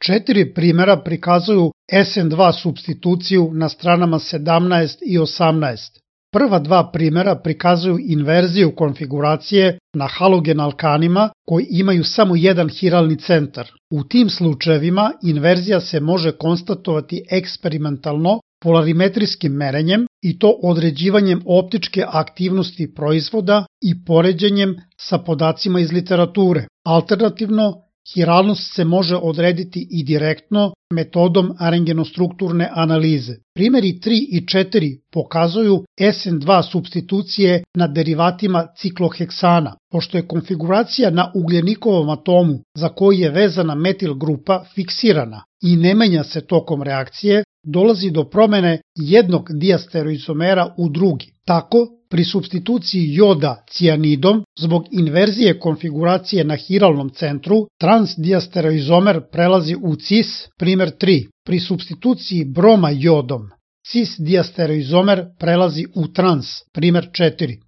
4 primjera prikazuju SN2 supstituciju na stranama 17 i 18. Prva 2 primjera prikazuju inverziju konfiguracije na halogen alkanima koji imaju samo jedan hiralni centar. U tim slučajevima inverzija se može konstatovati eksperimentalno polarimetrijskim merenjem i to određivanjem optičke aktivnosti proizvoda i poređenjem sa podacima iz literature. Alternativno, hiralnost se može odrediti i direktno metodom rengenostrukturne analize. Primjeri 3 i 4 pokazuju SN2 supstitucije na derivatima cikloheksana. Pošto je konfiguracija na ugljenikovom atomu za koji je vezana metil grupa fiksirana i ne menja se tokom reakcije, dolazi do promene jednog diastereoizomera u drugi. Tako, pri supstituciji joda cijanidom, zbog inverzije konfiguracije na hiralnom centru, transdiastereoizomer prelazi u cis, primjer 3. Pri supstituciji broma jodom, cis-diastereoizomer prelazi u trans, primjer 4.